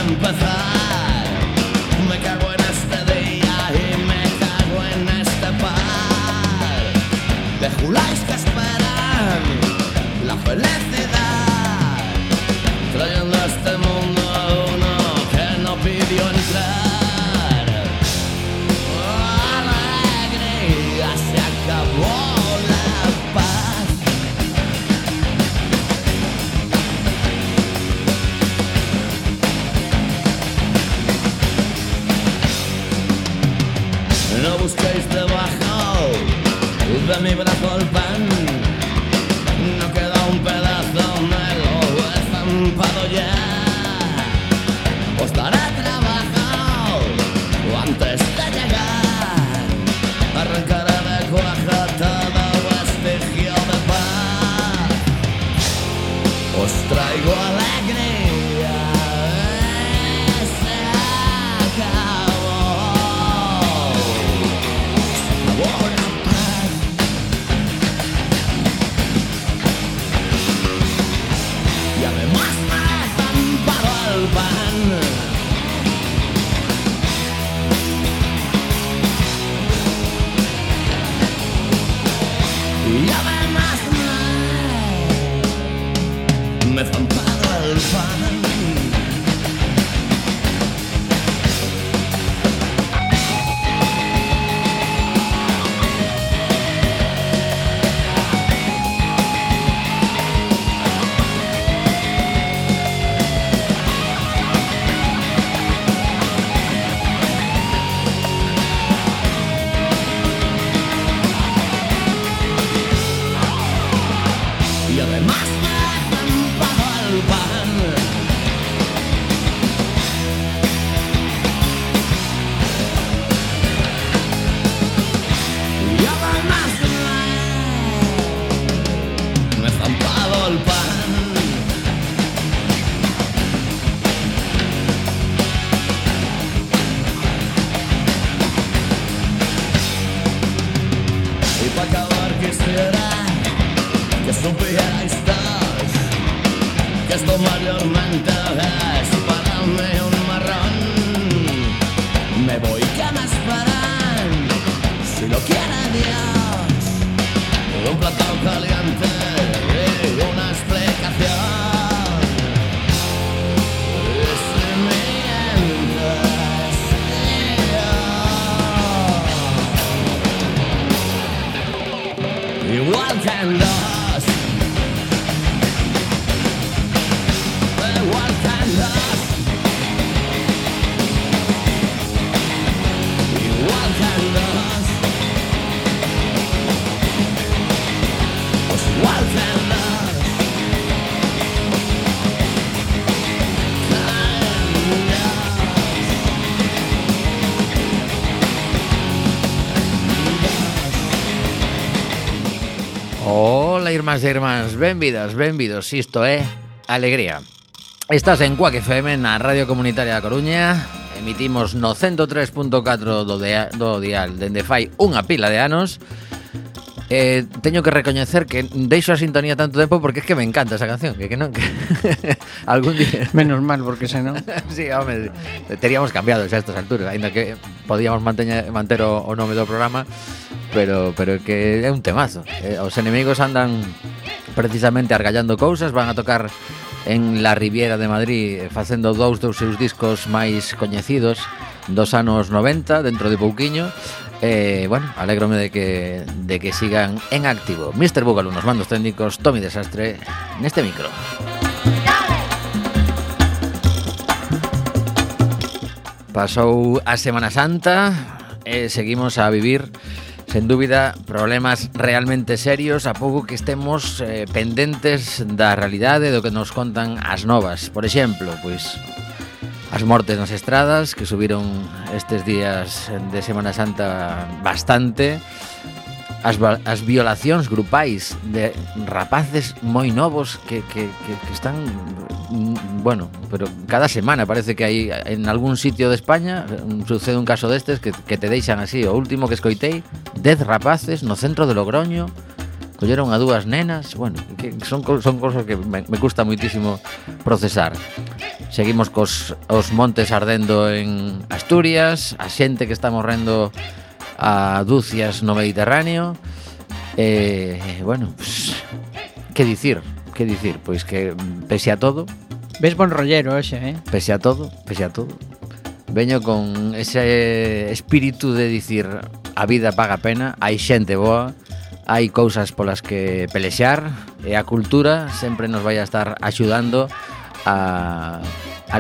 empezar. Me cago en este día y me cago en este par de juláis que esperan la felicidad, trayendo a este mundo a uno que no pidió entrar. Alegría, se acabó la paz. No busquéis debajo de mi brazo el pan, no queda un pedazo, me lo he estampado ya. Os daré trabajo antes de llegar, arrancaré de cuaja todo vestigio de paz. Os traigo alegría, se acabó la paz. Y además me he estampado el pan. Y además me he estampado el pan. Y además me he estampado el pan. Y además me he estampado el pan. Y para acabar quisiera que supierais todos que esto mayormente es para mí un marrón. Me voy, que me esperan, si lo quiere Dios, un plato caliente y una explicación. Y si mientes, igual que en dos. Igual que en dos. Igual que en dos. Pues igual que en dos. Hola, irmás e irmás, benvidos, isto é Alegría. Estás en Cuac FM, na Radio Comunitaria da Coruña. Emitimos no 103.4 do dial dende fai unha pila de anos. Teño que recoñecer que deixo a sintonía tanto tempo porque es que me encanta esa canción, que non que algún día Menos mal, porque senón sí, home, teríamos cambiado xa a estas alturas, aínda que podíamos manter o nome do programa, pero que é un temazo. Os enemigos andan precisamente argallando cousas, van a tocar en la Riviera de Madrid facendo dous dos seus discos máis coñecidos dos anos 90, dentro de pouquiño. Bueno, alégrome de que sigan en activo. Mr. Búgalo nos mandos técnicos, Tommy Desastre neste micro. Pasou a Semana Santa e seguimos a vivir, sen dúbida, problemas realmente serios, a pouco que estemos pendentes da realidade do que nos contan as novas. Por exemplo, pois as mortes nas estradas, que subiron estes días de Semana Santa bastante, as violacións grupais de rapaces moi novos que están, bueno, pero cada semana parece que hai en algún sitio de España sucede un caso destes que te deixan así. O último que escoitei, 10 rapaces no centro de Logroño colleron a dúas nenas, bueno, que son cosas que me custa moitísimo procesar. Seguimos os montes ardendo en Asturias, a xente que está morrendo a dúcias no Mediterráneo. Bueno, pues, que dicir? Pois que pese a todo, ves bon rollero hoxe, pese a todo, veño con ese espírito de dicir a vida paga pena, hai xente boa, hai cousas polas que pelexar e a cultura sempre nos vai a estar axudando a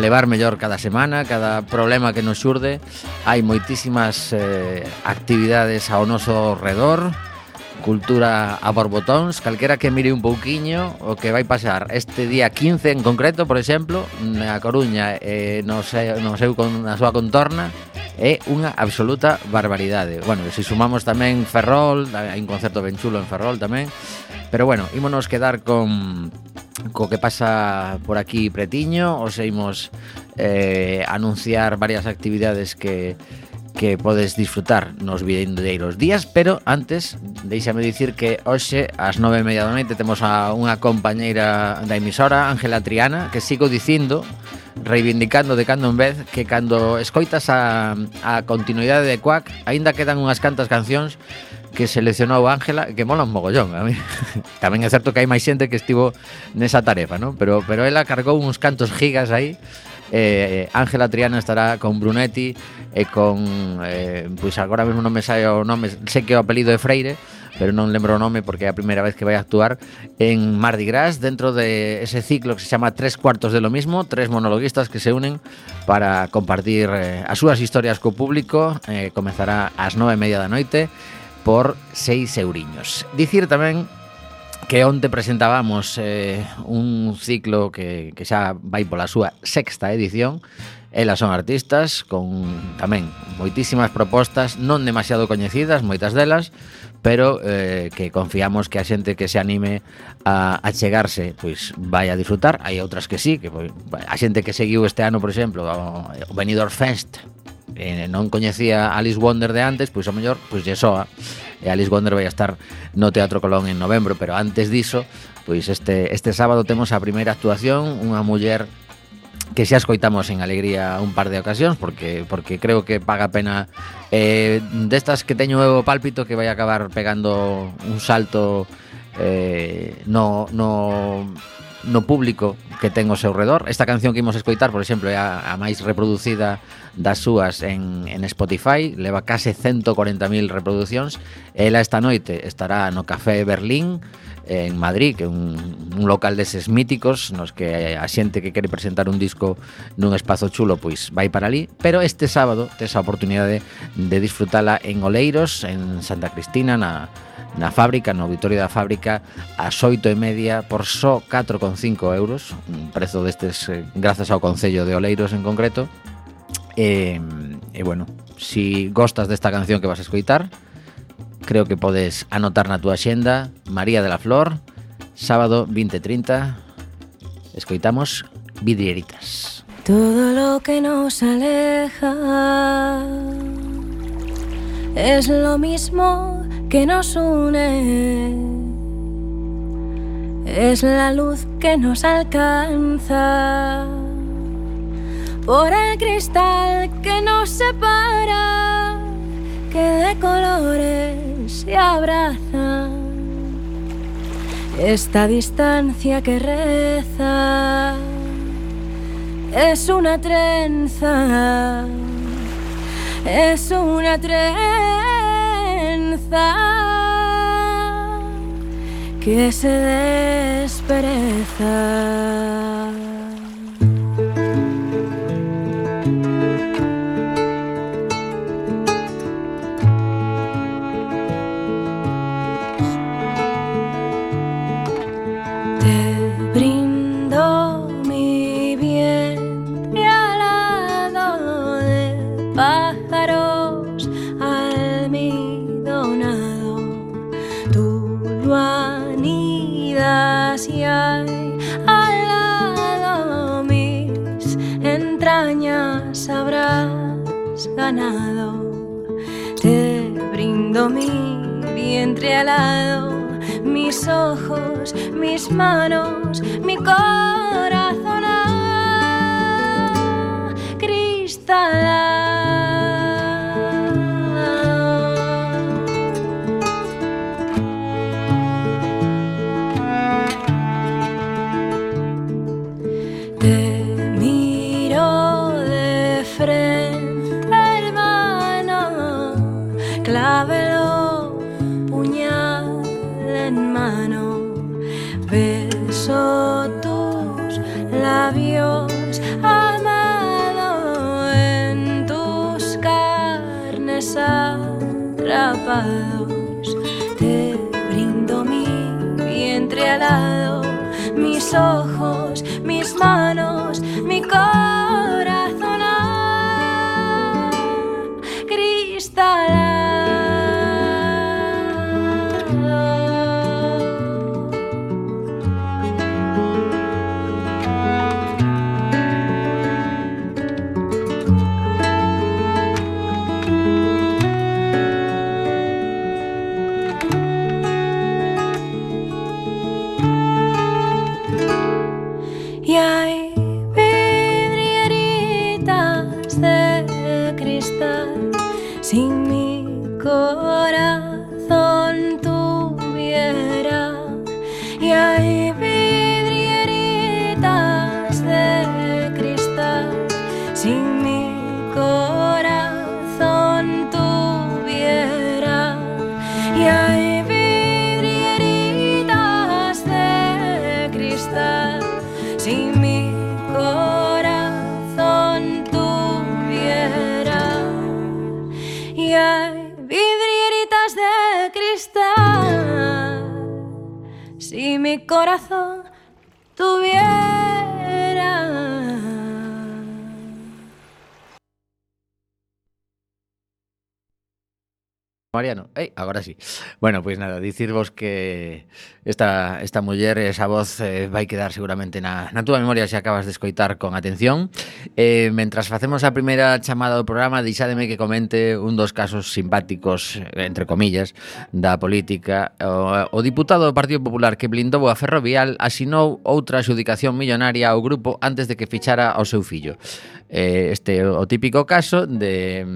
levar mellor cada semana, cada problema que nos xurde. Hai moitísimas actividades ao noso redor, cultura a borbotóns, calquera que mire un pouquiño o que vai pasar este día 15 en concreto, por exemplo, na Coruña, na súa contorna, é unha absoluta barbaridade. Bueno, se sumamos tamén Ferrol, hai un concerto ben chulo en Ferrol tamén, pero bueno, ímonos quedar co que pasa por aquí pretiño. Os imos anunciar varias actividades que podes disfrutar nos vindeiros días, pero antes deixame dicir que hoxe ás 9:30 da noite temos a unha compañeira da emisora, Ángela Triana, que sigo dicindo, reivindicando de cando en vez, que cando escoitas a continuidade de Quack, aínda quedan unhas cantas cancións que seleccionou Ángela que mola un mogollón. A mí tamén é certo que hai máis xente que estivo nesa tarefa, ¿no? Pero ela cargou uns cantos gigas aí. Ángela Triana estará con Brunetti e con pois agora mesmo non me sae o nome, sei que o apelido é Freire, pero non lembro o nome porque é a primeira vez que vai a actuar en Mardi Gras dentro de ese ciclo que se chama 3/4 de lo mismo, 3 monologuistas que se unen para compartir as súas historias co público. Comezará ás 9:30 da noite por 6 euriños. Dicir tamén que onte presentábamos un ciclo que xa vai pola súa 6ª edición. Elas son artistas con tamén moitísimas propostas, non demasiado coñecidas, moitas delas, pero que confiamos que a xente que se anime a chegarse pois vai a disfrutar. Hai outras que sí, que a xente que seguiu este ano, por exemplo, o Benidorm Fest, non coñecía Alice Wonder de antes, pois ao mellor pois lle soa. E Alice Wonder vai a estar no Teatro Colón en novembro, pero antes diso, pois este sábado temos a primeira actuación, unha muller que xa escoitamos en Alegría un par de ocasións, porque creo que paga pena, destas que teño o pálpito que vai acabar pegando un salto no público que ten ao seu redor. Esta canción que imos escoitar, por exemplo, é a máis reproducida das súas en Spotify, leva case 140.000 reproduccións. Ela esta noite estará no Café Berlín en Madrid, que é un local deses míticos nos que a xente que quere presentar un disco nun espazo chulo pois vai para ali. Pero este sábado tes a oportunidade de disfrutala en Oleiros, en Santa Cristina, na fábrica, no auditorio da fábrica, ás 8:30 por só 4,5 euros, un prezo destes grazas ao Concello de Oleiros en concreto. E bueno, si gostas desta canción que vas a escoitar, creo que podes anotar na túa xenda María de la Flor, sábado 20:30. Escoitamos Vidrieritas. Todo lo que nos aleja es lo mismo que nos une, es la luz que nos alcanza por el cristal que nos separa, que de colores se abraza, esta distancia que reza es una trenza, es una trenza que se despereza. Y hay al lado mis entrañas habrás ganado. Te brindo mi vientre alado, mis ojos, mis manos, mi corazón acristalado. Te miro de frente, hermano, clávelo, puñal en mano, beso tus labios, amado, en tus carnes atrapados. Te brindo mi vientre alado, mis ojos, mis manos, mi corazón acristalado. Y hay vidrieritas de cristal. Si mi corazón tuviera. Y hay vidrieritas de cristal. Si mi corazón tuviera. Y hay vidrieritas de cristal. Si mi corazón tuviera. Y hay vidrieritas de cristal. Si mi corazón tuviera. Mariano, agora sí. Bueno, pois nada, dicirvos que esta muller, esa voz vai quedar seguramente na túa memoria se acabas de escoitar con atención. Mentras facemos a primeira chamada do programa, deixádeme que comente un dos casos simpáticos, entre comillas, da política. O diputado do Partido Popular que blindou a Ferrovial asinou outra adxudicación millonaria ao grupo antes de que fichara ao seu fillo. Este é o típico caso de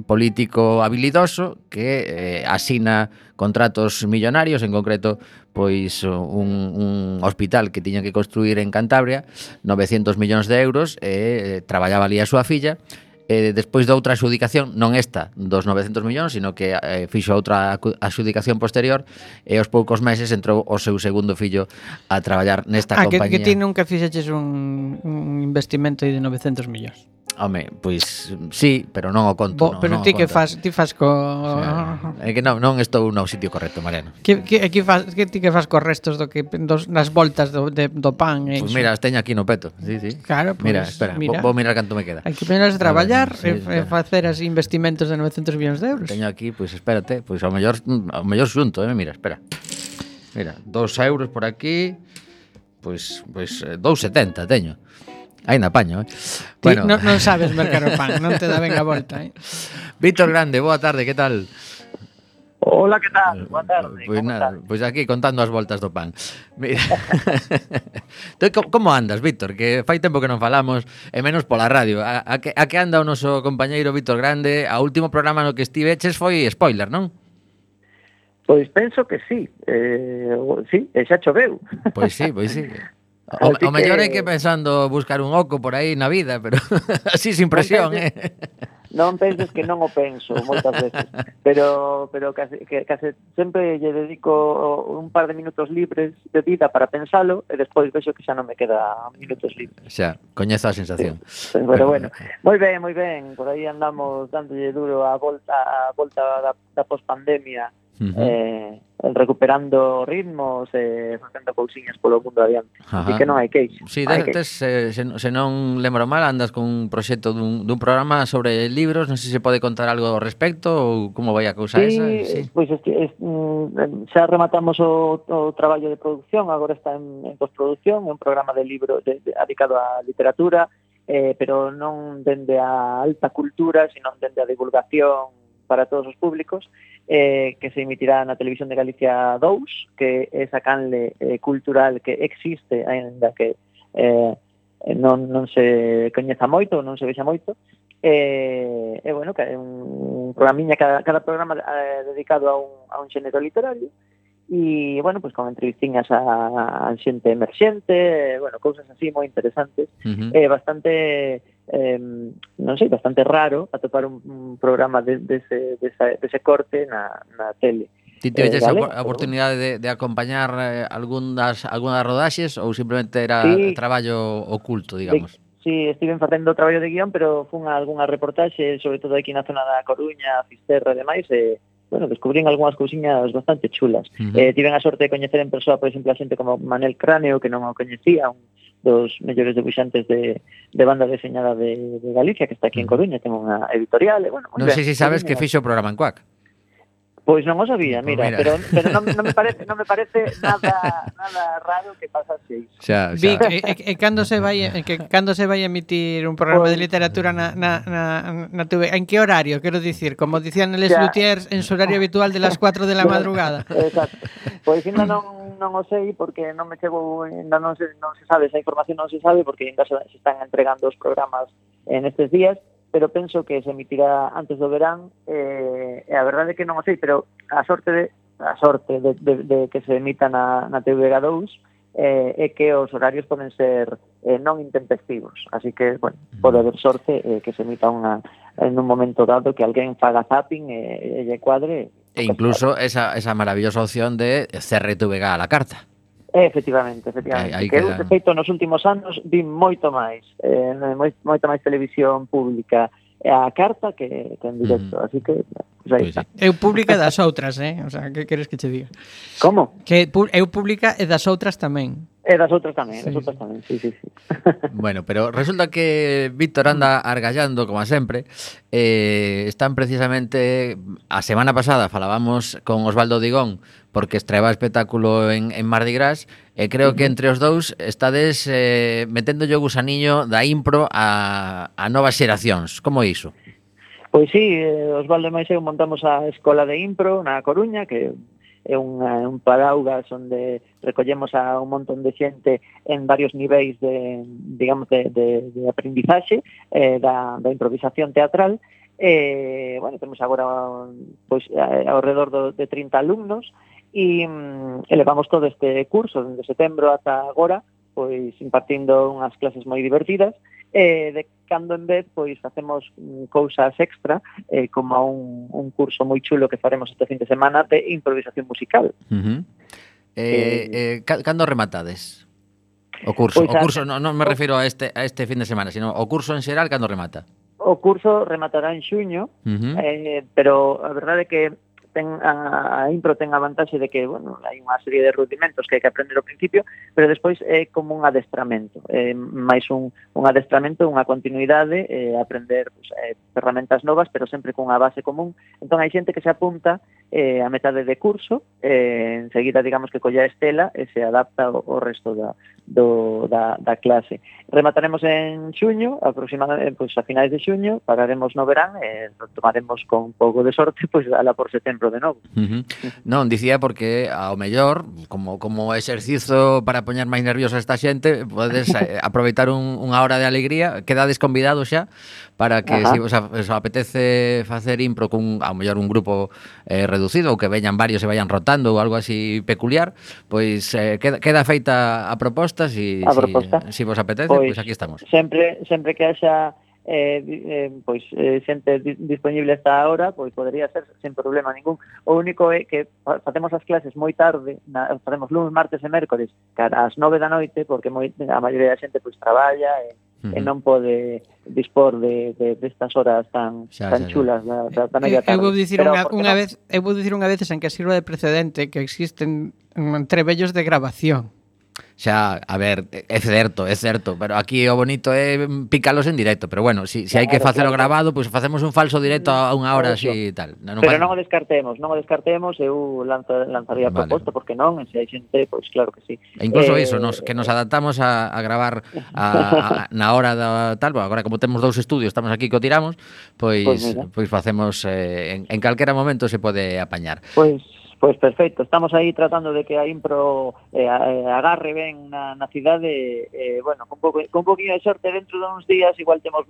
político habilidoso que asina contratos millonarios, en concreto pois un hospital que tiña que construir en Cantabria, 900 millóns de euros, e traballaba ali a súa filla. Despois de outra adxudicación, non esta dos 900 millóns, sino que fixo outra adxudicación posterior, e aos poucos meses entrou o seu segundo fillo a traballar nesta compañía. Que ti nunca fixeches un investimento de 900 millóns. Home, pois sí, pero non o conto. Pero ti que fas co... É que non estou no sitio correcto, Mariano. Que ti que fas cos restos nas voltas do pan? Pois mira, as teño aquí no peto. Sí. Claro, mira, espera, vou mirar canto me queda. Hai que ponerse a traballar e facer as investimentos de 900 millóns de euros. Teño aquí, pois espérate, pois ao mellor xunto, mira, espera. Mira, 2 euros por aquí, pois 2,70 teño. Ainda apaño, Bueno. Non sabes mercar o pan, non te dá ben a volta, Víctor Grande, boa tarde, que tal? Hola, que tal? Boa tarde. Pois nada, pois aquí contando as voltas do pan. Mira. Como andas, Víctor? Que fai tempo que non falamos, e menos pola radio. A que anda o noso compañeiro Víctor Grande? A último programa no que estiveches foi spoiler, non? Pois penso que sí. Sí, e xa choveu. Pois sí. O mellor é que pensando buscar un oco por aí na vida, pero así sin presión, Non penses que non o penso moitas veces, pero case sempre lle dedico un par de minutos libres de vida para pensalo e despois vexo que xa non me queda minutos libres. Xa, coñezo a sensación. Sí. Pero bueno, moi ben, por aí andamos dándolle duro a volta da pospandemia. Recuperando ritmos e facendo cousiñas polo mundo adiante. Así que non hai queixo. Si, se non lembro mal, andas con un proxecto dun programa sobre libros, non sei se pode contar algo ao respecto ou como vai a cousa esa. Sí, pois xa rematamos o traballo de producción, agora está en postproducción, é un programa de libro dedicado á literatura, pero non dende a alta cultura, sino dende a divulgación para todos os públicos, que se emitirá na Televisión de Galicia 2, que é esa canle cultural que existe, aínda que non se coñeza moito, non se vexa moito, bueno, que é un programiña, cada programa dedicado a un xénero literario, e, bueno, pues con entrevistinhas a xente emerxente, bueno, cousas así moi interesantes, bastante, non sei, bastante raro atopar un programa dese corte na tele. Ti tiveste a oportunidade de acompañar algunhas rodaxes ou simplemente era traballo oculto, digamos? Sí, estiven facendo traballo de guión, pero fun a algunha reportaxe, sobre todo aquí na zona da Coruña, Fisterra e demais, bueno, descubrín algunhas cousiñas bastante chulas. Tiven a sorte de coñecer en persoa, por exemplo, a xente como Manel Cráneo, que non o coñecía, un dos mellores debuxantes de banda deseñada de Galicia, que está aquí en Coruña, ten unha editorial, e, bueno, non sei se sabes que fixo o programa en Cuac. Pois non o sabía, mira. Pero non me parece nada raro que pasase iso. Xa. Vic, cando se vai a emitir un programa de literatura na TV? En que horario? Quero dicir, como dicían Les Luthiers, en su horario habitual de las 4 de la madrugada. Exacto. Pois ainda non o sei, porque non me chego, ainda non se sabe, esa información non se sabe, porque ainda se están entregando os programas en estes días, pero penso que se emitirá antes do verán, e a verdade é que non o sei, pero a sorte de que se emita na TVG2 é que os horarios poden ser non intempestivos, así que, bueno, pode haber sorte que se emita en un momento dado que alguén faga zapping e lle cuadre. E incluso esa maravillosa opción de CRTVG a la carta. Efectivamente. Que de feito nos últimos anos vi moito máis televisión pública a carta que en directo, así que pues aí está. Eu pública das outras, o sea, que queres que che diga? Como? Que eu pública e das outras tamén. E das outras tamén, sí. Bueno, pero resulta que Víctor anda argallando, como sempre. Están precisamente, a semana pasada falábamos con Osvaldo Digón, porque estreaba espectáculo en Mardi Gras, e creo que entre os dous estades metendo o gusaniño da impro a novas xeracións. Como é iso? Pois sí, Osvaldo e máis eu montamos a Escola de Impro na Coruña, que é un paraugas onde recollemos a un montón de xente en varios niveis de aprendizaxe da improvisación teatral. Bueno, temos agora pois ao redor de 30 alumnos e levamos todo este curso dende setembro ata agora, pois impartindo unhas clases moi divertidas. De cando en vez pois facemos cousas extra, como un curso moi chulo que faremos este fin de semana de improvisación musical. Cando rematades o curso? Pois o curso non me refiro a este fin de semana, sino o curso en xeral, cando remata? O curso rematará en xuño, pero a verdade é que a impro ten a vantaxe de que, bueno, hai unha serie de rudimentos que hai que aprender ao principio, pero despois é como un adestramento, máis un adestramento, unha continuidade, aprender ferramentas novas, pero sempre cunha base común. Entón hai xente que se apunta a metade de curso, enseguida, digamos, que colla a estela e se adapta ao resto da clase. Remataremos en xuño, aproximadamente, pois a finais de xuño, pararemos no verán e tomaremos con un pouco de sorte, pois ala por setembro de novo. Non, dicía porque ao mellor, como exercizo para poñer máis nerviosa esta xente, podes aproveitar unha hora de alegría, quedades convidados xa para que se vos apetece facer impro con ao mellor un grupo reducido ou que veñan varios e vayan rotando ou algo así peculiar, pois queda feita a proposta, si vos apetece, pois aquí estamos. Sempre que haxa xente disponible esta hora, pois podría ser sen problema ningún. O único é que facemos as clases moi tarde, facemos lunes, martes e mércores ás 9 da noite, porque a maioría da xente pois traballa e non pode dispor destas horas tan chulas da media tarde. Eu vou dicir unha vez en que sirva de precedente que existen trebellos de grabación. xa, a ver, é certo, pero aquí o bonito é picalos en directo, pero bueno, si hai que facelo grabado, pois facemos un falso directo a unha hora así e tal. Pero non o descartemos, eu lanzaría a proposta, porque non, se hai xente, pois claro que sí. E incluso iso, que nos adaptamos a gravar na hora da tal, agora como temos 2 estudios, estamos aquí que o tiramos, pois facemos en calquera momento se pode apañar. Pois perfecto, estamos aí tratando de que a impro agarre ben na cidade, bueno, con poquinho de sorte dentro de uns días igual temos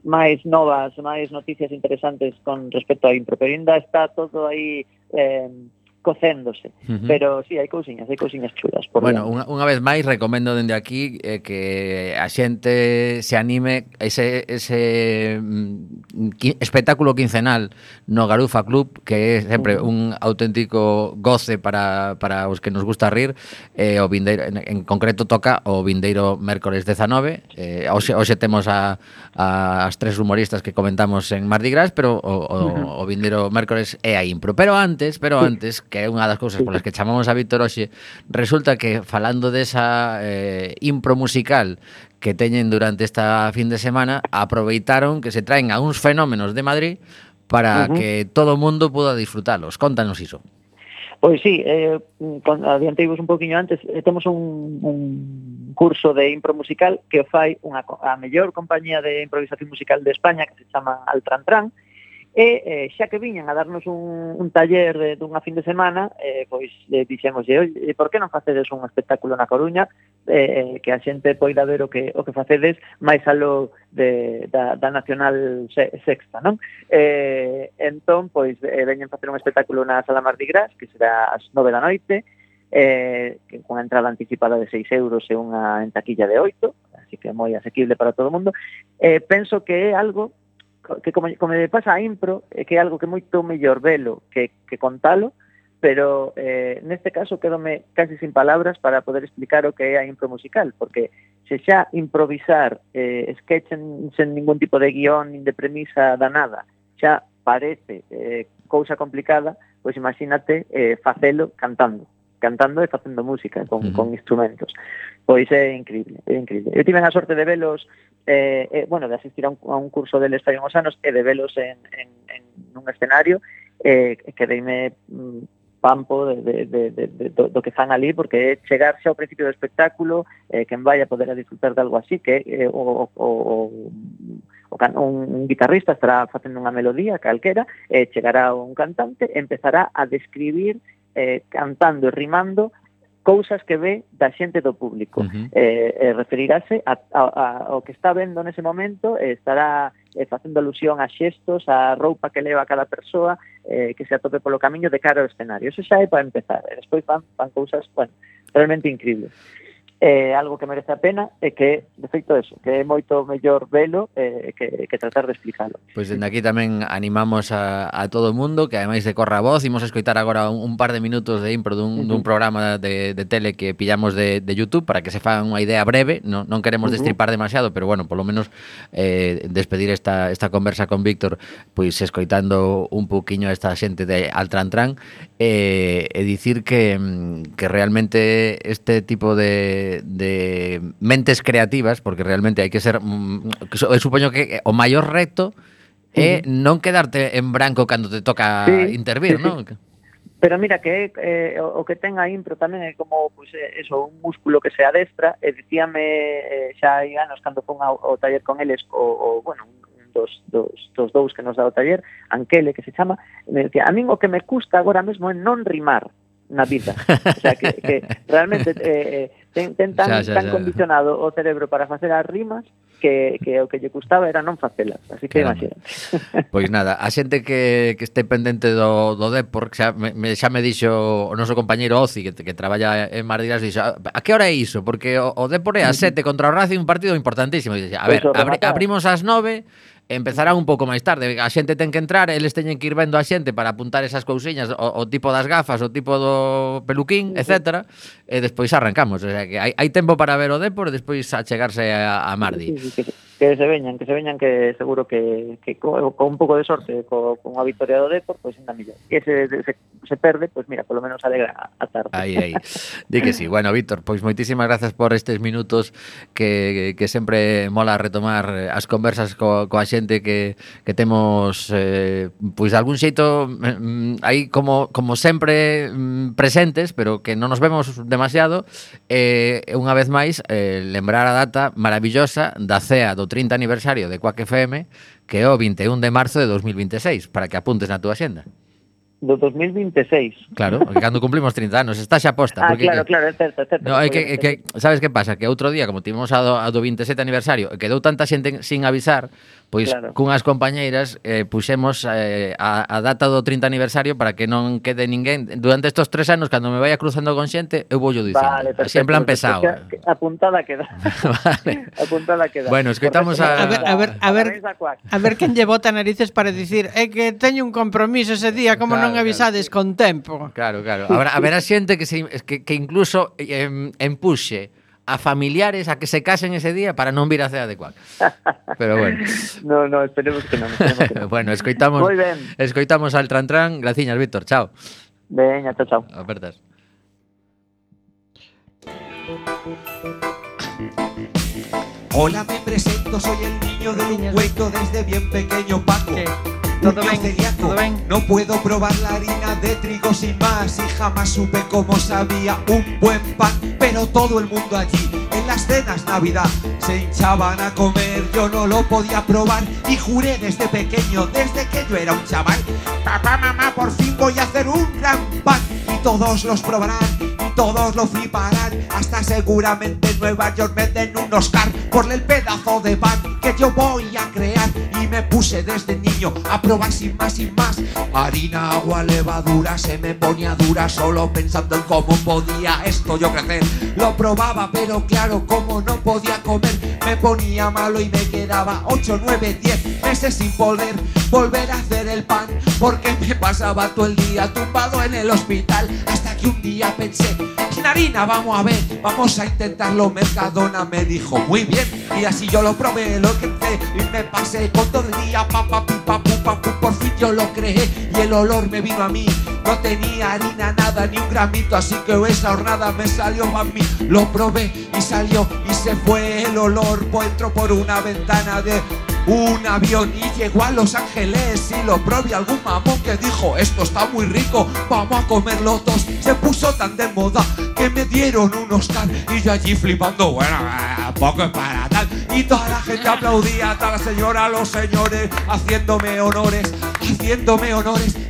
máis novas, máis noticias interesantes con respecto a impro, pero ainda está todo aí cocéndose, pero sí, hai cousiñas chulas. Bueno, unha vez máis recomendo dende aquí que a xente se anime ese espectáculo quincenal no Garufa Club, que é sempre un auténtico goce para os que nos gusta rir. O vindeiro, en concreto toca o vindeiro mércores 19, hoxe temos as 3 humoristas que comentamos en Mardi Gras, pero o vindeiro mércores é a impro. Pero antes que é unha das cousas polas que chamamos a Víctor hoxe, resulta que falando desa impro musical que teñen durante esta fin de semana, aproveitaron que se traen a uns fenómenos de Madrid para que todo o mundo poda disfrutalos. Contanos iso. Pois sí, adianteivos un poquinho antes, temos un curso de impro musical que fai a mellor compañía de improvisación musical de España, que se chama Altran, e xa que viñan a darnos un taller dunha fin de semana, pois dixémoslle, oi, por que non facedes un espectáculo na Coruña que a xente poida ver o que facedes máis aló da Nacional Sexta, non? Entón, pois, veñen facer un espectáculo na Sala Mardi Gras, que será ás 9 da noite, que con a entrada anticipada de 6 euros e unha en taquilla de 8, así que é moi asequible para todo o mundo. Penso que é algo que como me pasa a impro, que é algo que é moito mellor velo que contalo, pero neste caso quedome casi sin palabras para poder explicar o que é a impro musical, porque se xa improvisar sketch sen ningún tipo de guión nin de premisa da nada xa parece cousa complicada, pois imagínate facelo cantando e facendo música con instrumentos. Pois é increíble. Eu tive a sorte de velos, de asistir a un curso deles fai uns anos e de velos en un escenario, que deime pampo do que fan ali, porque é chegar xa ao principio do espectáculo, quen vai a poder a disfrutar de algo así, que un guitarrista estará facendo unha melodía calquera, chegará un cantante e empezará a describir cantando e rimando cousas que ve da xente do público. Referirase ao que está vendo nese momento, estará facendo alusión a xestos, a roupa que leva cada persoa, que se atope polo camiño de cara ao escenario. Eso xa é para empezar. Despois fan cousas, realmente increíbles. Algo que merece a pena é que, de feito eso, que é moito mellor velo que tratar de explicalo. Pois dende aquí tamén animamos a todo o mundo que ademais de corra a voz, imos a escoitar agora un par de minutos de impro dun programa de tele que pillamos de YouTube para que se fagan unha idea breve, non queremos destripar demasiado, pero bueno, polo menos despedir esta conversa con Víctor, pois escoitando un pouquiño esta xente de Altran e dicir que realmente este tipo de mentes creativas, porque realmente hai que ser, supoño que o maior reto é non quedarte en branco cando te toca intervir, non? Pero mira que o que ten a impro tamén é como un músculo que se adestra, e dicíame xa hai anos cando fun ao taller con eles, dos dous que nos dá o taller, Anquele, que se chama, me decía, a min o que me custa agora mesmo é non rimar na vida. O sea, que realmente ten tan condicionado o cerebro para facer as rimas que o que lle custaba era non facelas. Así que imagínate. Pois nada, a xente que este pendente do Depor, xa me dixo o noso compañeiro Oci, que traballa en Mardi Gras, dixo, a que hora é iso? Porque o Depor é a 7 contra o Racing, un partido importantísimo. E dixo, a ver, abrimos ás 9, empezará un pouco máis tarde, a xente ten que entrar, eles teñen que ir vendo a xente para apuntar esas cousiñas, o tipo das gafas, o tipo do peluquín, etcétera, e despois arrancamos, o sea que hai tempo para ver o Depor e despois achegarse a Mardi. que se veñan, que seguro que con un pouco de sorte con a victoria do Depor, pois ainda mellor. Que se perde, pois mira, polo menos alegra a tarde. Aí. Di que sí. Bueno, Víctor, pois moitísimas grazas por estes minutos que sempre mola retomar as conversas coa xente que temos pois de algún xeito aí como sempre presentes, pero que non nos vemos demasiado. Unha vez máis lembrar a data maravillosa da cea do 30 aniversario de Quack FM, que é o 21 de marzo de 2026, para que apuntes na túa xenda. Do 2026. Claro, cando cumplimos 30 anos, está xa posta. Porque claro, é certo. No, é que sabes que pasa? Que outro día, como tivemos a do 27 aniversario, quedou tanta xente sin avisar, pois claro, cunhas compañeiras puxemos a data do 30 aniversario para que non quede ninguén. Durante estos 3 anos, cando me vaya cruzando con xente, eu vou dicindo. Vale, perfecto, así en plan pesado. Apuntada queda. Vale. Apuntada queda. Bueno, escoitamos a ver quen lle bota narices para dicir que teño un compromiso ese día, como non avisades con tempo. Claro. Haberá xente que incluso empuxe a familiares a que se casen ese día para non vir a cea de Quack. Pero bueno. No, esperemos que non. Bueno, escoitamos. Moi ben. Escoitamos al Tran. Graciñas, Víctor. Chao. Veña, chao. Apertas. Hola, me presento, soy el niño del ungüento desde bien pequeño Paco. ¿Todo bien? No puedo probar la harina de trigo sin más y jamás supe cómo sabía un buen pan. Pero todo el mundo allí, en las cenas Navidad, se hinchaban a comer, yo no lo podía probar. Y juré desde pequeño, desde que yo era un chaval: papá, mamá, por fin voy a hacer un gran pan. Y todos los probarán, y todos lo fliparán, hasta seguramente en Nueva York me den un Oscar por el pedazo de pan que yo voy a crear. Y me puse desde niño a probar sin más. Harina, agua, levadura, se me ponía dura solo pensando en cómo podía esto yo crecer. Lo probaba, pero claro, como no podía comer, me ponía malo y me quedaba 8, 9, 10 meses sin poder volver a hacer el pan, porque me pasaba todo el día tumbado en el hospital. Hasta que un día pensé: sin harina, vamos a ver, vamos a intentarlo. Mercadona me dijo: muy bien. Y así yo lo probé, lo que hice y me pasé con todo el día por fin yo lo creé y el olor me vino a mí. No tenía harina nada, ni un gramito, así que esa hornada me salió a mí. Lo probé y salió y se fue el olor. Pues entró por una ventana de un avión y llegó a Los Ángeles y lo probé. Algún mamón que dijo: esto está muy rico, vamos a comerlo todos. Se puso tan de moda que me dieron un Oscar y yo allí flipando, bueno, poco es para tal. Y toda la gente aplaudía, toda la señora, los señores, haciéndome honores.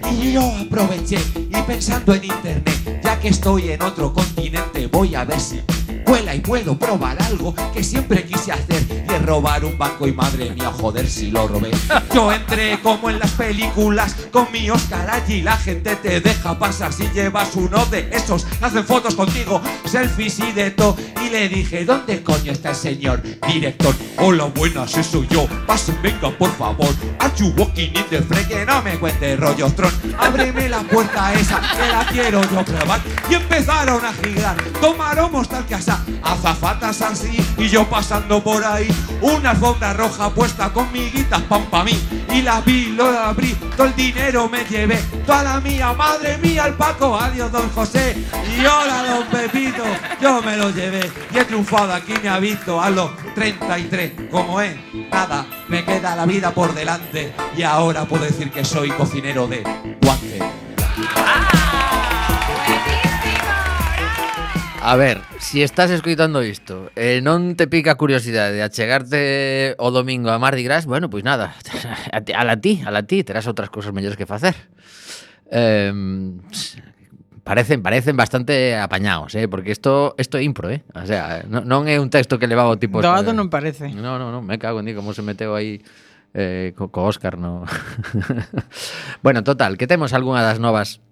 Y yo aproveché y pensando en internet, ya que estoy en otro continente, voy a ver si vuela y puedo probar algo que siempre quise hacer, y es robar un banco. Y madre mía, joder, si lo robé. Yo entré como en las películas con mi Oscar allí, la gente te deja pasar si llevas uno de esos, hacen fotos contigo, selfies y de todo. Y le dije: ¿dónde coño está el señor director? Hola, buenas, soy yo, pasen, venga, por favor. Are you walking in the frame? Que no me cuente rollos tron. Ábreme la puerta esa, que la quiero yo probar. Y empezaron a girar, tomaron tal que asá, azafatas así, y yo pasando por ahí, una alfombra roja puesta con miguitas pan pa' mí. Y la vi, lo abrí, todo el dinero me llevé, toda la mía, madre mía, el Paco, adiós don José, y hola don Pepito, yo me lo llevé. Y he triunfado, aquí me ha visto a los 33, como es, nada, me queda la vida por delante, y ahora puedo decir que soy cocinero de guante. A ver, si estás escoitando isto non te pica curiosidade de achegarte o domingo a Mardi Gras, bueno, pois nada, a la ti, terás outras cousas mellores que facer. Parecen bastante apañados, porque isto é impro, o sea, non é un texto que levaba o tipo... Doado non parece. No, me cago en ti, como se meteu aí co Óscar, no. Bueno, total, que temos algunha das novas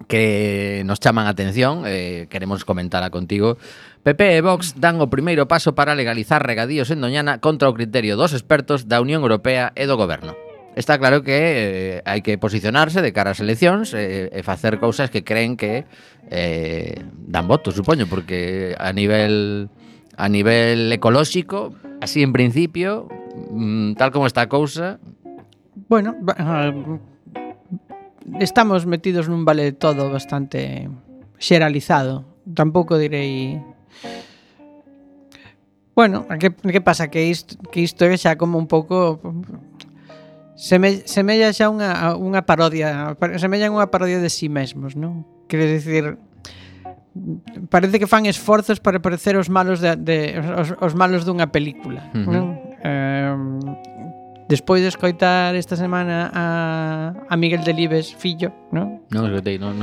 que nos chaman a atención, queremos comentala contigo. PP e Vox dan o primeiro paso para legalizar regadíos en Doñana contra o criterio dos expertos da Unión Europea e do Goberno. Está claro que hai que posicionarse de cara ás eleccións e facer cousas que creen que dan votos, supoño, porque a nivel ecolóxico, así en principio, tal como está a cousa, Bueno, estamos metidos nun vale de todo bastante xeralizado. Tampouco direi... Bueno, que pasa? Que isto é xa como un pouco... Semella xa unha parodia. Semella unha parodia de si mesmos, non? Quero dicir... Parece que fan esforzos para parecer os malos os malos dunha película, non? Despois de escoitar esta semana a Miguel Delibes, fillo, non? Non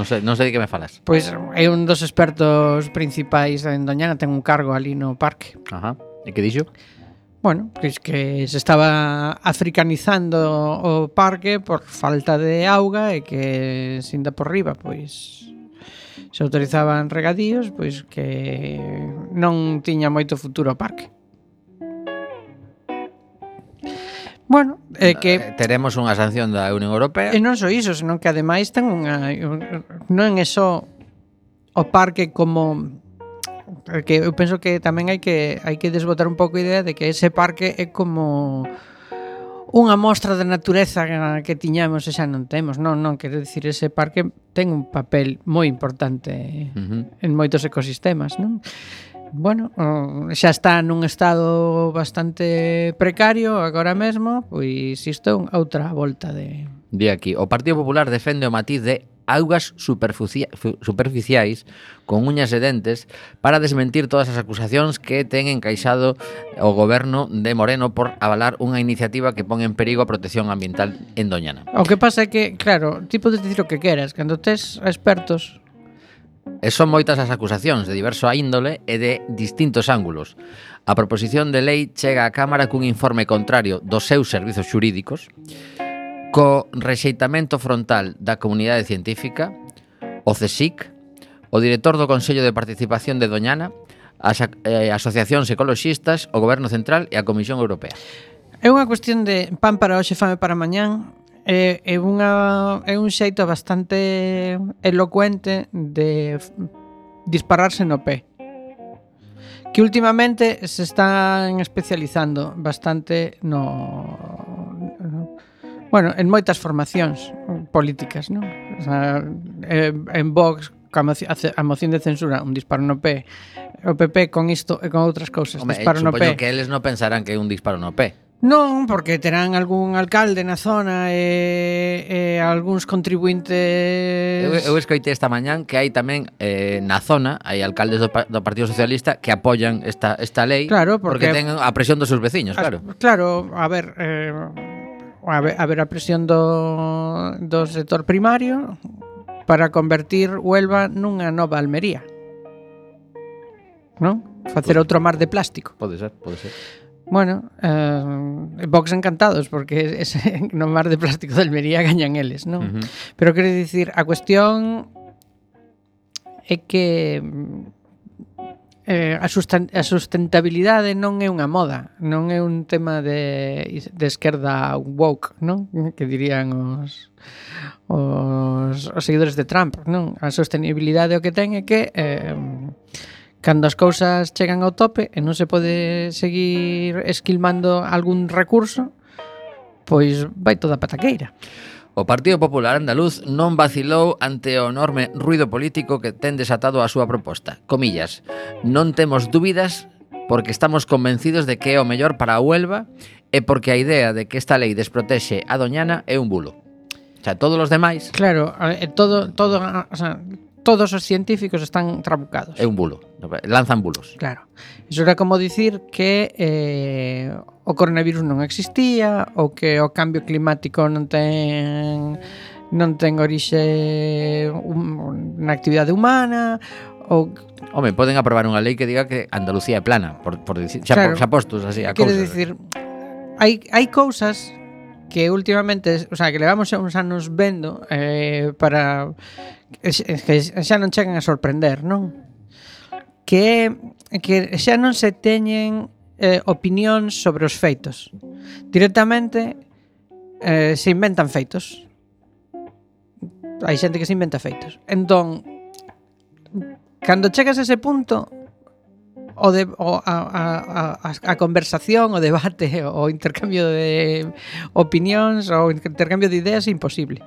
sei de que me falas. Pois é un dos expertos principais en Doñana, ten un cargo ali no parque. Ajá. E que dixo? Bueno, pois que se estaba africanizando o parque por falta de auga e que sinda por riba, pois se autorizaban regadíos, pois que non tiña moito futuro o parque. Bueno, que teremos unha sanción da Unión Europea. E non só iso, senón que ademais ten non é só o parque como que eu penso que tamén hai que desbotar un pouco a idea de que ese parque é como unha mostra da natureza que tiñamos e xa non temos. Non, quero dicir, ese parque ten un papel moi importante en moitos ecosistemas, non? Bueno, xa está nun estado bastante precario agora mesmo, pois isto é outra volta de... Di aquí, o Partido Popular defende o matiz de augas superficiais con uñas e dentes para desmentir todas as acusacións que ten encaixado o goberno de Moreno por avalar unha iniciativa que pon en perigo a protección ambiental en Doñana. O que pasa é que, claro, ti podes dicir o que queras, cando tes expertos... E son moitas as acusacións de diverso índole e de distintos ángulos. A proposición de lei chega á Cámara cun informe contrario dos seus servizos xurídicos, co rexeitamento frontal da comunidade científica, o CSIC, o director do Consello de Participación de Doñana, as asociacións ecoloxistas, o Goberno Central e a Comisión Europea. É unha cuestión de pan para hoxe, fame para mañán. É un xeito bastante elocuente de dispararse no pé, que últimamente se están especializando bastante en moitas formacións políticas, non? O sea, en Vox, a moción de censura, un disparo no pé. O PP con isto e con outras cousas, disparo no pé. Supoño que eles non pensarán que é un disparo no pé. Non, porque terán algún alcalde na zona e algúns contribuintes... Eu escoitei esta mañán que hai tamén na zona, hai alcaldes do Partido Socialista que apoian esta lei, claro, porque ten a presión dos seus veciños, claro. Claro, a ver, a presión do sector primario para convertir Huelva nunha nova Almería. Non? Facer outro mar de plástico. Pode ser. Bueno, Vox encantados porque no mar de plástico de Almería gañan eles, non? Pero quero dicir, a cuestión é que a sustentabilidade non é unha moda, non é un tema de esquerda woke, non? Que dirían os seguidores de Trump, non? A sostenibilidade o que ten é que cando as cousas chegan ao tope e non se pode seguir esquilmando algún recurso, pois vai toda a pataqueira. O Partido Popular Andaluz non vacilou ante o enorme ruido político que ten desatado a súa proposta. Comillas, non temos dúbidas porque estamos convencidos de que é o mellor para a Huelva e porque a idea de que esta lei desprotexe a Doñana é un bulo. O sea, todos os demais... Claro, todos os científicos están trabucados. É un bulo, lanzan bulos. Claro. Iso era como dicir que o coronavirus non existía, ou que o cambio climático non ten orixe na actividade humana, ou... Home, poden aprobar unha lei que diga que Andalucía é plana, por dicir, xa postos así a cousas. Quero dicir, hai cousas que últimamente, o sea, que levamos uns anos vendo para que xa non chegan a sorprender, non? Que xa non se teñen opinións sobre os feitos. Directamente se inventan feitos. Hai xente que se inventa feitos. Entón, cando chegas a ese punto, a conversación, o debate, o intercambio de opinións, o intercambio de ideas é imposible.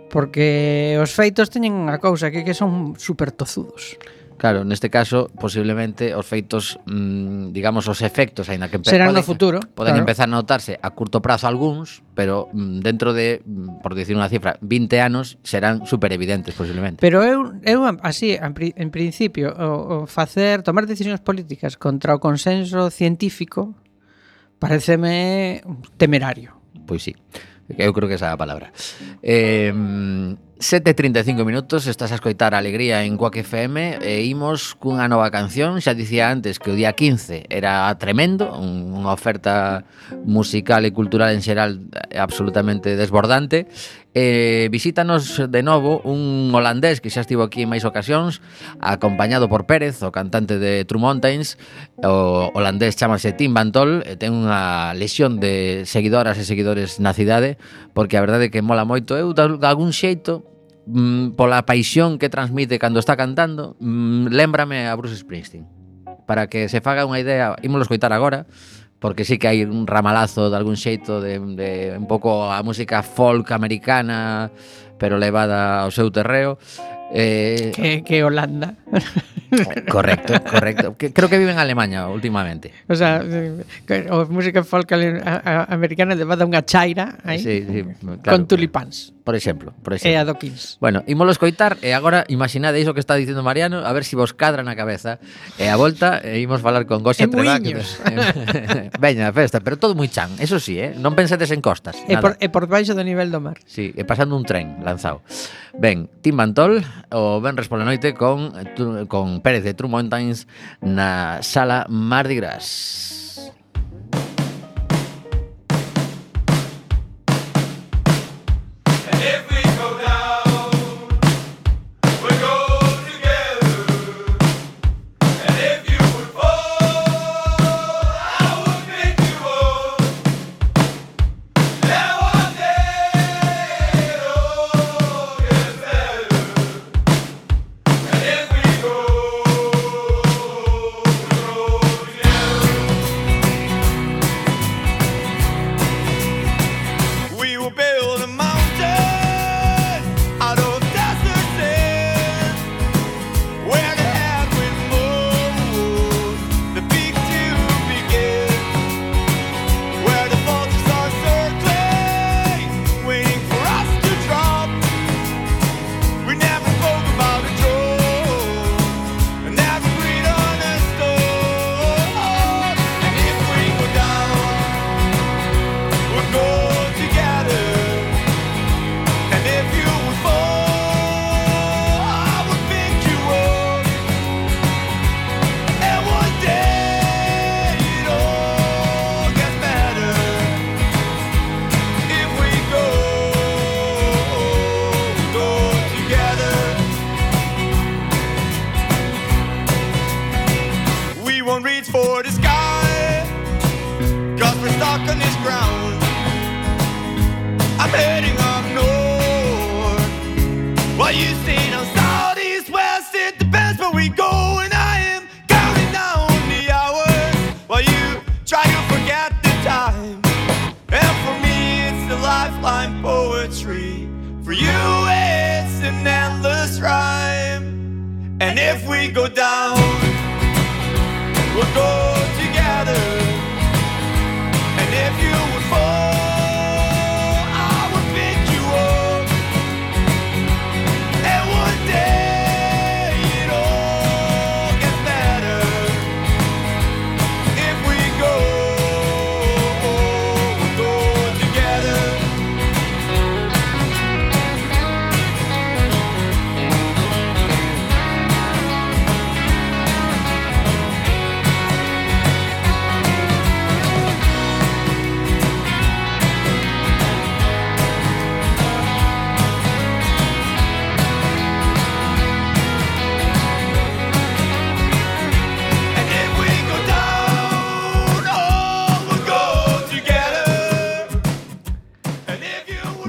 Porque os feitos teñen unha cousa que son super tozudos. Claro, neste caso, posiblemente os feitos, digamos, os efectos, aínda que serán no futuro, poden empezar a notarse a curto prazo algúns, pero dentro de, por dicir unha cifra, 20 anos serán super evidentes, posiblemente. Pero eu así, en principio, tomar decisións políticas contra o consenso científico pareceme temerario. Pois sí. Eu creo que esa é a palabra. 7:35 minutos, estás a escoitar a Alegría en Quack FM e imos cunha nova canción. Xa dicía antes que o día 15 era tremendo, unha oferta musical e cultural en xeral absolutamente desbordante. Visítanos de novo un holandés que xa estivo aquí en máis ocasións, acompañado por Pérez, o cantante de True Mountains. O holandés chamase Tim Van Tol e ten unha lesión de seguidoras e seguidores na cidade, porque a verdade é que mola moito. Eu, de algún xeito, pola paixón que transmite cando está cantando, lémbrame a Bruce Springsteen. Para que se faga unha idea, ímolo escoitar agora, porque sí que hai un ramalazo de algún xeito de un pouco a música folk americana, pero levada ao seu terreo. Que Holanda. Correcto. Creo que vive en Alemania últimamente. O sea, a música folk americana levada unha chaira aí, sí, claro, con tulipáns. Por exemplo. E adoquins. Bueno, ímolo escoitar e agora imaginade iso que está dicendo Mariano, a ver se vos cadra na cabeza. E a volta imos falar con Goxa Treda. Veña, festa, pero todo moi chan, eso sí, non pensedes en costas. E por baixo do nivel do mar. Sí, e pasando un tren lanzado. Ben, Tim Van Tol, o venres pola noite con Pérez de True Mountains na sala Mardi Gras.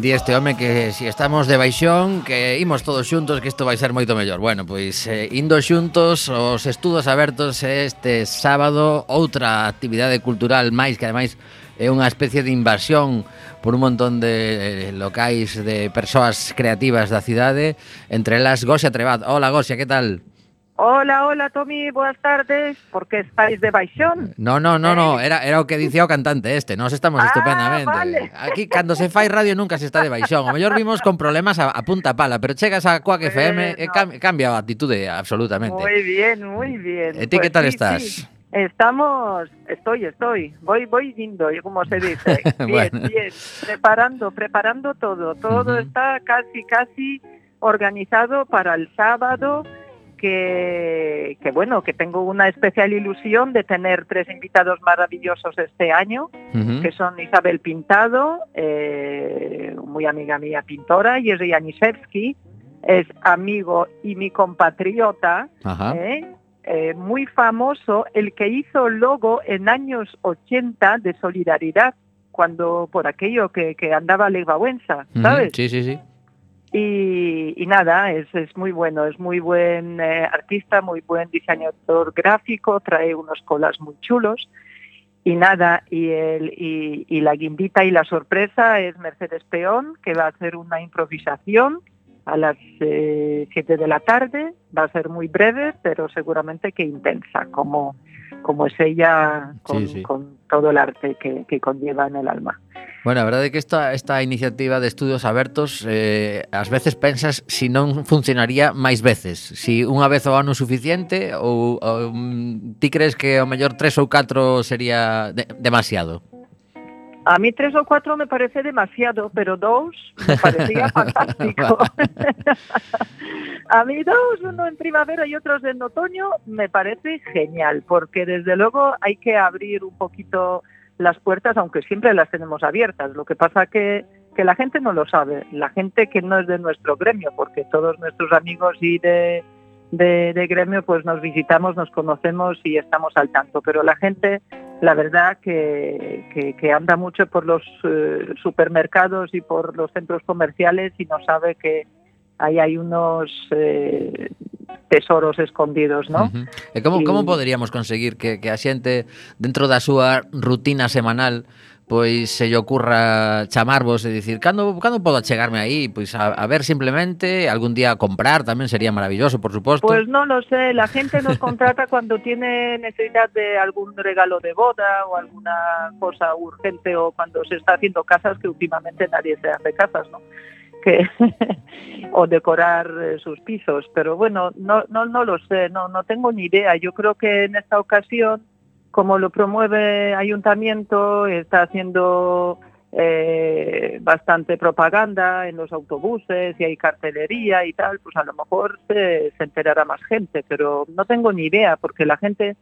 Di este home que si estamos de baixón, que imos todos xuntos, que isto vai ser moito mellor. Bueno, pois indo xuntos os estudos abertos este sábado, outra actividade cultural máis que ademais é unha especie de invasión por un montón de locais de persoas creativas da cidade, entre elas Gosia Trebat. Hola Gosia, que tal? Hola, hola, Tomi, boas tardes. Por que estáis de baixón? No, era o que dicía o cantante este. Nós estamos estupendamente. Vale. Aquí, cando se fai radio, nunca se está de baixón. O mellor vimos con problemas a punta pala, pero chegas a Quack FM e cambia a actitude absolutamente. Muy bien, muy bien. E ti que tal sí, estás? Sí. Estoy. Voy yendo, como se dice. Bien, Bueno. bien. Preparando todo. Todo está casi organizado para el sábado. Que bueno, que tengo una especial ilusión de tener 3 invitados maravillosos este año, que son Isabel Pintado, muy amiga mía pintora, y Jerzy Janicewski, es amigo y mi compatriota, muy famoso, el que hizo el logo en años 80 de Solidaridad, cuando por aquello que andaba Lech Wałęsa, ¿sabes? Sí. Y nada, es muy bueno, es muy buen artista, muy buen diseñador gráfico, trae unos colas muy chulos. Y nada, y la guindita y la sorpresa es Mercedes Peón, que va a hacer una improvisación a las 7 de la tarde. Va a ser muy breve, pero seguramente que intensa, como es ella con todo el arte que conlleva en el alma. Bueno, a verdade é que esta iniciativa de estudios abertos ás veces pensas si non funcionaría máis veces, si unha vez ao ano suficiente ou ti crees que ao mellor 3 ou 4 sería demasiado? A mí 3 o 4 me parece demasiado, pero 2 me parecía fantástico. A mí 2, uno en primavera y otros en otoño, me parece genial, porque desde luego hay que abrir un poquito las puertas, aunque siempre las tenemos abiertas. Lo que pasa que la gente no lo sabe, la gente que no es de nuestro gremio, porque todos nuestros amigos y de gremio pues nos visitamos, nos conocemos y estamos al tanto, pero la gente, la verdad que anda mucho por los supermercados y por los centros comerciales y no sabe que ahí hay unos tesoros escondidos, ¿no? E como poderíamos conseguir que a xente dentro da súa rutina semanal pois se lle ocurra chamarvos e dicir cando podo chegarme aí? Pois a ver simplemente, algún día a comprar tamén sería maravilloso, por suposto. Pues no lo sé, la gente nos contrata cuando tiene necesidad de algún regalo de boda o alguna cosa urgente o cuando se está haciendo casas, que últimamente nadie se hace casas, ¿no? O decorar sus pisos, pero bueno, no lo sé, no tengo ni idea. Yo creo que en esta ocasión, como lo promueve Ayuntamiento, está haciendo bastante propaganda en los autobuses y hay cartelería y tal, pues a lo mejor se enterará más gente, pero no tengo ni idea, porque la gente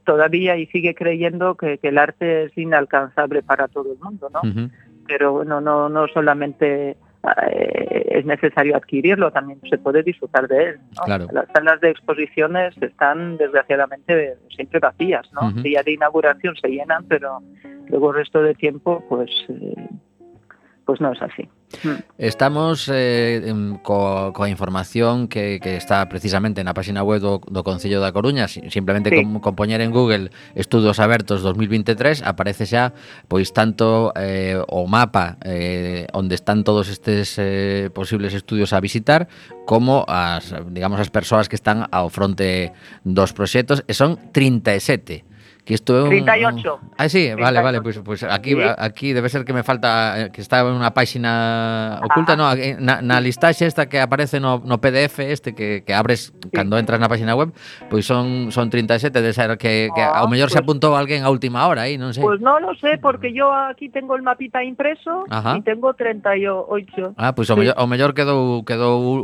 todavía y sigue creyendo que el arte es inalcanzable para todo el mundo, ¿no? Pero bueno, no solamente es necesario adquirirlo, también se puede disfrutar de él, ¿no? Claro. Las salas de exposiciones están desgraciadamente siempre vacías, ¿no? El día de inauguración se llenan, pero luego el resto de tiempo pues no es así. Estamos coa información que está precisamente na página web do Concello da Coruña. Simplemente con poñer en Google Estudos Abertos 2023 aparece xa pois tanto o mapa onde están todos estes posibles estudios a visitar, como as persoas que están ao fronte dos proxectos, e son 37. Que isto é 38. Sí, 38. vale, pues aquí debe ser que me falta, que está en unha página oculta, no, na listaxe esta que aparece no PDF este que abres cando entras na página web, pois son 37, de ser que ao mellor se apuntou alguén a última hora aí, non sei. Pues no lo sé, porque yo aquí tengo el mapita impreso y tengo 38. Pues o mellor quedou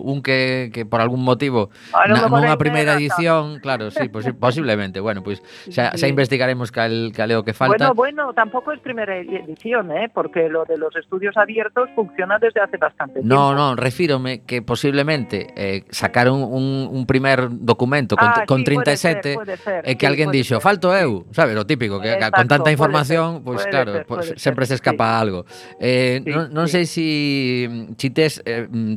un que por algún motivo nunha primeira edición, claro, sí, posiblemente. Bueno, pois xa investigaremos cal é o que falta. Bueno, tampoco es primera edición, porque lo de los estudios abiertos funciona desde hace bastante tiempo. No, refírome que posiblemente sacaron un primer documento con 37 puede ser, e que alguén dixo, falto eu, sabes, lo típico, que Exacto, con tanta información, pois puede claro, ser, sempre se escapa algo. Non sei si tes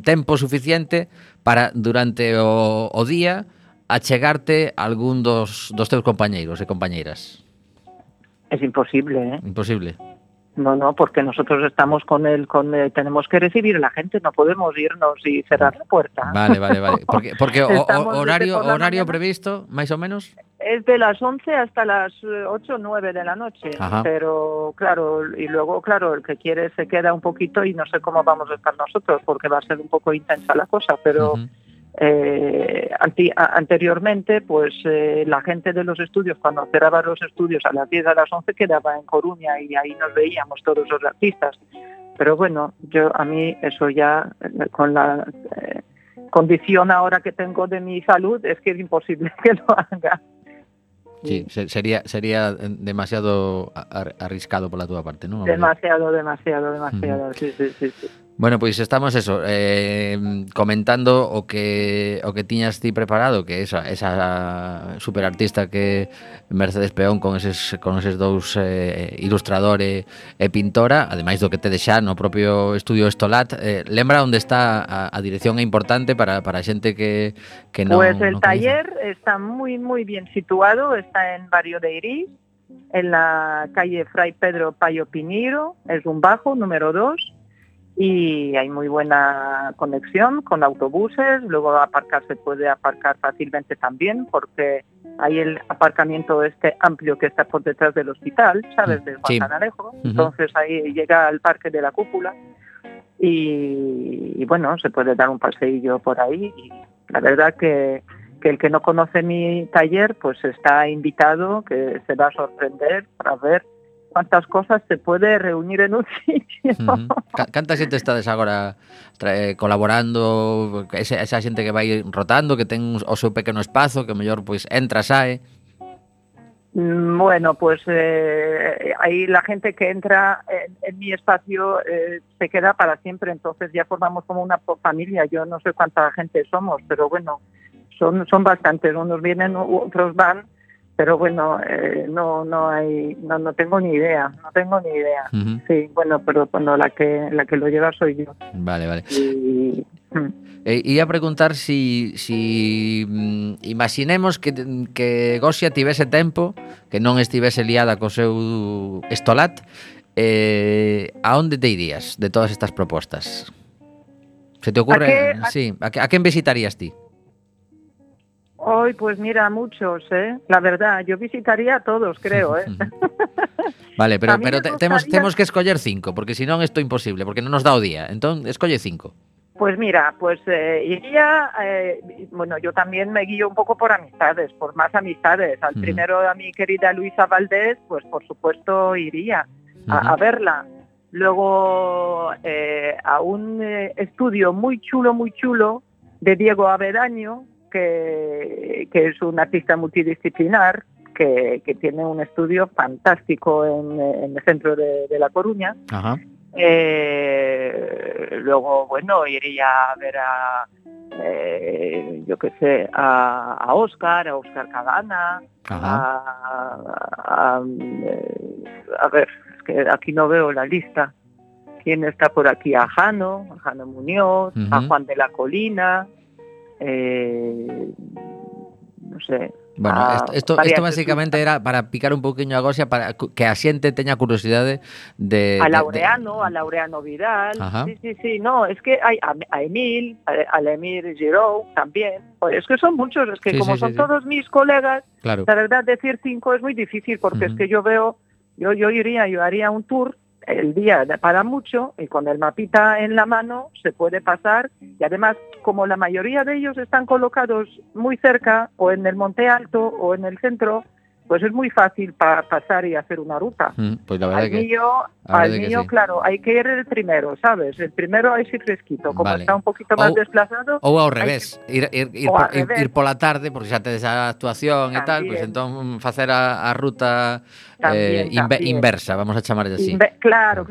tempo suficiente para durante o día achegarte a algún dos teus compañeiros e compañeiras. Es imposible, Imposible. No, porque nosotros estamos tenemos que recibir a la gente, no podemos irnos y cerrar la puerta. Vale. Porque horario mañana, previsto, máis ou menos? Es de las 11 hasta las 8 o 9 de la noche. Ajá. Pero claro, y luego, claro, el que quiere se queda un poquito y no sé cómo vamos a estar nosotros, porque va a ser un poco intensa la cosa, pero... anteriormente, pues la gente de los estudios, cuando cerraba los estudios a las 10 a las 11, quedaba en Coruña y ahí nos veíamos todos los artistas. Pero bueno, a mí eso ya, con la condición ahora que tengo de mi salud, es que es imposible que lo haga. Sí, sería demasiado arriscado por la túa parte, ¿no? Demasiado, sí. Bueno, pois estamos comentando o que tiñas ti preparado, que esa superartista que Mercedes Peón con eses dous ilustrador e pintora, ademais do que te deixa no propio estudio Estolat, lembra onde está a dirección é importante para a xente que non. Pues el taller está muy bien situado, está en Barrio de Iris, en la calle Fray Pedro Payo Piñeiro, es un bajo número 2. Y hay muy buena conexión con autobuses, luego se puede aparcar fácilmente también, porque hay el aparcamiento amplio que está por detrás del hospital, ¿sabes? De Juan Canarejo. Entonces ahí llega al Parque de la Cúpula y bueno, se puede dar un paseillo por ahí. Y la verdad que el que no conoce mi taller, pues está invitado, que se va a sorprender para ver cuántas cosas se puede reunir en un sitio. Canta xente estades agora colaborando, esa xente que vai rotando, que ten o seu pequeno espazo, que mellor pois entra, sae? Bueno, pues ahí la gente que entra en mi espacio se queda para siempre, entonces ya formamos como una familia. Yo no sé cuánta gente somos, pero bueno, son bastantes, unos vienen, otros van. Pero bueno, no tengo ni idea. Sí, bueno, pero cuando la que lo lleva soy yo. Vale. Ia preguntar si imaginemos que Gosia tivese tempo, que non estivese liada co seu Estolat, a onde te irías de todas estas propostas? Se te ocurre? ¿A quen visitarías ti? Hoy, pues mira, muchos, la verdad, yo visitaría a todos, creo, Vale, pero temos que escoller 5, porque si non isto é imposible, porque non nos dá o día. Entón, escolle 5. Pues mira, iría, bueno, yo también me guío un poco por amistades, por más amistades. Al primero a mi querida Luisa Valdés, pues por supuesto iría a verla. Luego a un estudio muy chulo de Diego Avedaño, que es un artista multidisciplinar que tiene un estudio fantástico en el centro de La Coruña. Ajá. Luego, bueno, iría a ver a Óscar Cadana, a ver, es que aquí no veo la lista. ¿Quién está por aquí? A Jano Muñoz, a Juan de la Colina, no sé. Bueno, esto básicamente era para picar un poquinho a Gosia, para que a xente teña curiosidade de... A Laureano Vidal. Ajá. Sí, no, es que hay a Emil Giroux también. Es que son muchos, es que son todos mis colegas, claro. La verdad decir 5 es muy difícil, porque es que yo haría un tour el día para mucho, y con el mapita en la mano se puede pasar, y además como la mayoría de ellos están colocados muy cerca o en el Monte Alto o en el centro, pues es muy fácil pasar y hacer una ruta. Pues la verdad Al que... mío, sí. claro, hay que ir el primero, ¿sabes? El primero ahí sí fresquito, como Vale. está un poquito más desplazado. Ou ao hay revés, revés. ir pola tarde, porque xa tedes a actuación e tal, También. pois entón facer a ruta También. inversa, vamos a chamarlle así. Claro,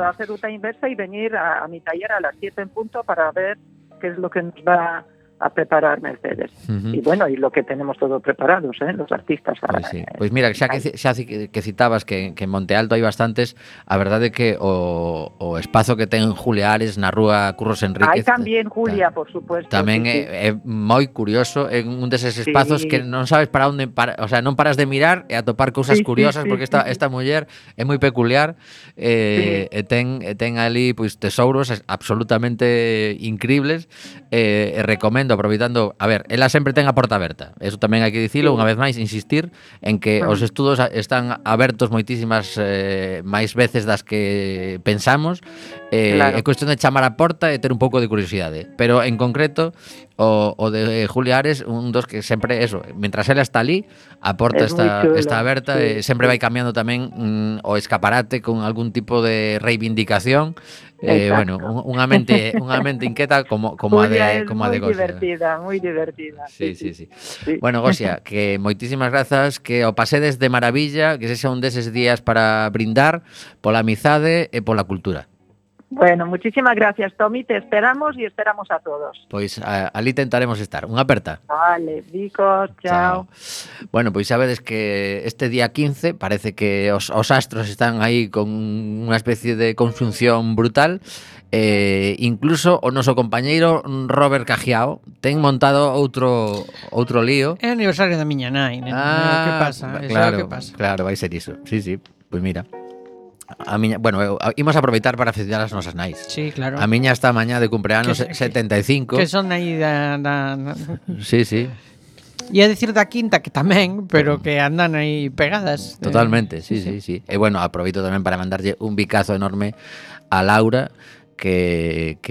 hacer ruta inversa y venir a mi taller a las 7 en punto para ver qué es lo que nos va a preparar Mercedes. Y bueno, y lo que tenemos todo preparados, los artistas. Pois sí. Pois mira, xa que citabas que en Monte Alto hai bastantes, a verdade é que o espazo que ten Julia Ares na rúa Curros Enríquez. Hai tamén Julia, por supuesto. Tamén sí. é moi curioso, é un deses espazos que non sabes para onde, o sea, non paras de mirar e a topar cousas curiosas, porque esta muller é moi peculiar e ten ali pois tesouros absolutamente increíbles e recomendo, aproveitando, a ver, ela sempre ten a porta aberta. Eso tamén hai que dicilo, unha vez máis, insistir en que os estudos están abertos moitísimas máis veces das que pensamos. É cuestión de chamar a porta e ter un pouco de curiosidade. Pero en concreto, o de Julia Ares, un dos que sempre, eso, mentras ela está ali, a porta está aberta e sempre vai cambiando tamén o escaparate con algún tipo de reivindicación. Bueno, unha mente inquieta como a de Gosia. Moi divertida. Sí. Bueno, Gosia, que moitísimas grazas, que o pasedes de maravilla, que sexa un deses días para brindar pola amizade e pola cultura. Bueno, muchísimas gracias, Tommy, te esperamos y esperamos a todos. Pois ali tentaremos estar. Unha aperta. Vale, bicos, chao. Bueno, pois sabedes que este día 15 parece que os astros están aí con unha especie de conxunción brutal. Incluso o noso compañeiro Robert Cajiao ten montado outro lío. É o aniversario da miña nai, que pasa? Claro, vai ser iso. Sí, pois mira. A miña, bueno, imos aproveitar para felicitar as nosas nais. Sí, claro. A miña está mañá de cumpleanos 75. Que son aí da... Sí. E a decir da quinta que tamén, pero que andan aí pegadas. Totalmente, sí. E bueno, aproveito tamén para mandarlle un bicazo enorme a Laura, que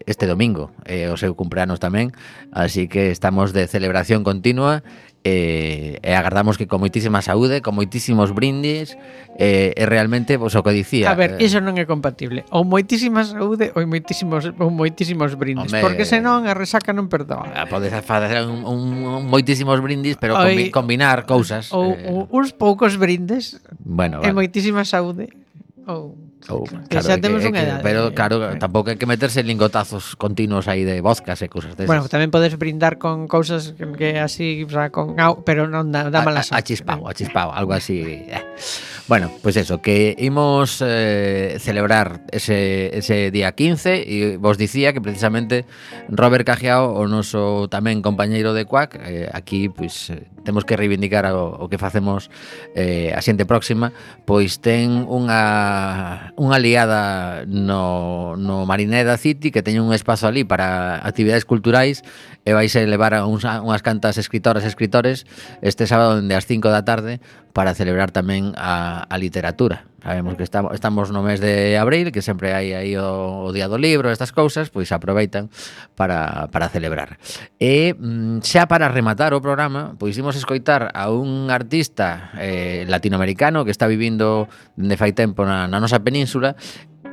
este domingo é o seu cumpleanos tamén, así que estamos de celebración continua e agardamos que con moitísima saúde, con moitísimos brindis e realmente, pois o que dicía. A ver, iso non é compatible. Ou moitísima saúde ou moitísimos brindis, porque senón a resaca non perdoa. Podes facer un moitísimos brindis, pero combinar cousas. Ou uns poucos brindes e moitísima saúde. Que xa temos unha edade. Pero claro, tampouco hai que meterse lingotazos continuos aí de vodkas e cousas desas. Bueno, tamén podes brindar con cousas que así, o sea, con pero non dá mala sorte. A chispao, algo así. Bueno, pues eso, que imos celebrar ese día 15 e vos dicía que precisamente Robert Cajiao, o noso tamén compañeiro de Cuac, aquí pois temos que reivindicar o que facemos a xente próxima, pois ten unha aliada no Marineda City que teñen un espazo ali para actividades culturais e vais a levar a unhas cantas escritoras e escritores este sábado dende as 5 da tarde para celebrar tamén a literatura. Sabemos que estamos no mes de abril, que sempre hai aí o Día do Libro, estas cousas, pois aproveitan para celebrar. E xa para rematar o programa, pois imos escoitar a un artista latinoamericano que está vivindo dende fai tempo na nosa península,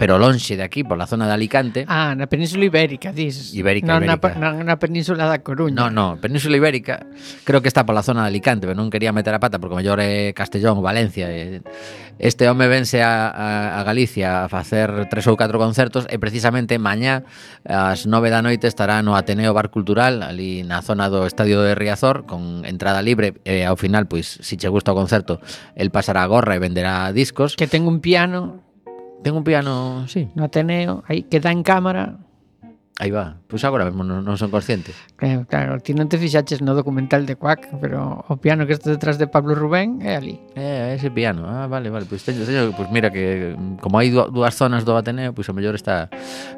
pero lonxe de aquí, pola zona de Alicante. Na Península Ibérica, dis. Ibérica. Na Península da Coruña. No, Península Ibérica, creo que está pola zona de Alicante, pero non quería meter a pata porque mellor é Castellón ou Valencia. Este home vense a Galicia a facer 3 ou 4 concertos e precisamente mañá ás 9 da noite estará no Ateneo Bar Cultural, ali na zona do Estadio de Riazor, con entrada libre e ao final, pois, se che gusta o concerto, el pasará a gorra e venderá discos. Que ten un piano... Ten un piano, sí. No Ateneo, aí que dá en cámara. Aí va, pois agora mesmo non son consciente. Claro, ti non te fixaches no documental de Cuac, pero o piano que está detrás de Pablo Rubén é ali. Ese piano, vale, pois teño, pois mira que como hai dúas zonas do Ateneo, pois o mellor está...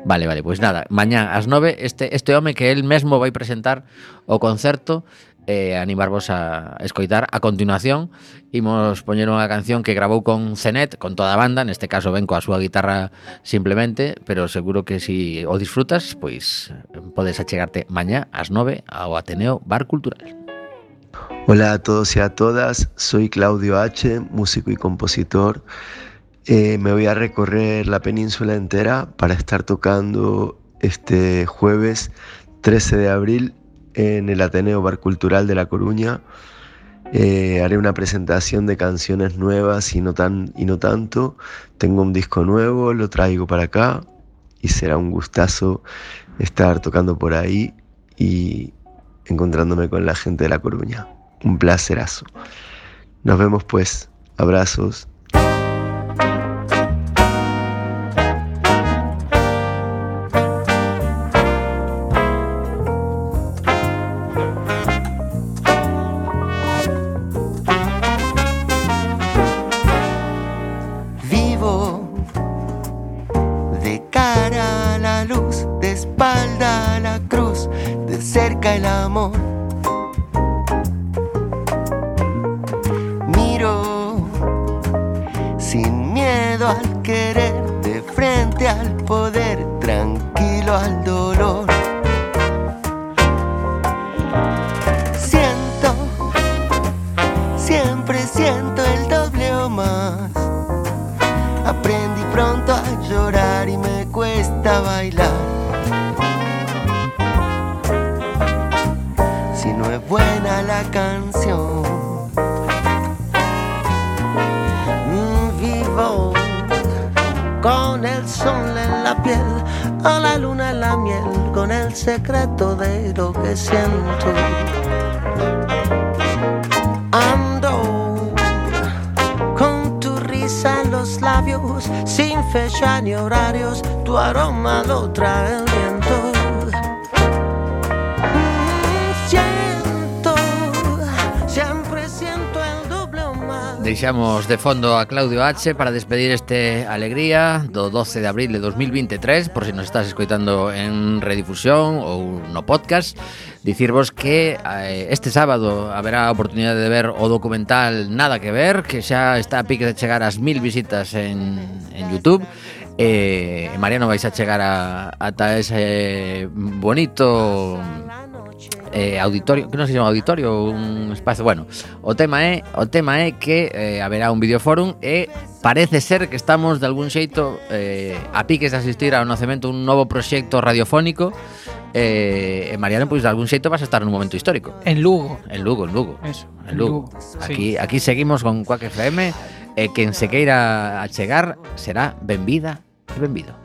Vale, pois nada, mañá ás 9 este home que el mesmo vai presentar o concerto animarvos a escoitar. A continuación imos poñer unha canción que gravou con Cenet, con toda a banda, neste caso ven coa súa guitarra simplemente, pero seguro que si o disfrutas, pois podes achegarte mañá ás 9 ao Ateneo Bar Cultural. Hola a todos y a todas, soy Claudio H., músico y compositor. Me voy a recorrer la península entera para estar tocando este jueves 13 de abril en el Ateneo Bar Cultural de La Coruña. Haré una presentación de canciones nuevas y no tanto. Tengo un disco nuevo, lo traigo para acá y será un gustazo estar tocando por ahí y encontrándome con la gente de La Coruña. Un placerazo. Nos vemos pues. Abrazos. Vivo de cara a la luz, de espalda a la cruz, de cerca el amor. Sin miedo al querer, de frente al poder, tranquilo al dolor. Siento, siempre siento el doble o más. Aprendí pronto a llorar y me cuesta bailar. Si no es buena la canción, con el sol en la piel, a la luna en la miel, con el secreto de lo que siento. Ando con tu risa en los labios, sin fecha ni horarios, tu aroma lo trae el viento. Siempre siento el doble o más. Deixamos de fondo a Claudio H. para despedir este Alegría do 12 de abril de 2023, por si nos estás escoitando en redifusión ou no podcast. Dicirvos que este sábado haberá a oportunidade de ver o documental Nada que ver, que xa está a pique de chegar ás 1000 visitas en YouTube. Mariano, vais a chegar ata ese bonito auditorio, que non se chama auditorio, un espacio, bueno, o tema é que haberá un videoforum e parece ser que estamos de algún xeito a piques de asistir ao nacemento un novo proxecto radiofónico. Mariano, pois de algún xeito vas a estar nun momento histórico. En Lugo. En Lugo. Eso, en Lugo. Sí. Aquí seguimos con Quack FM e quen se queira achegar será benvida e benvido.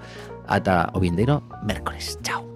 Ata o vindeiro mércores. Chao.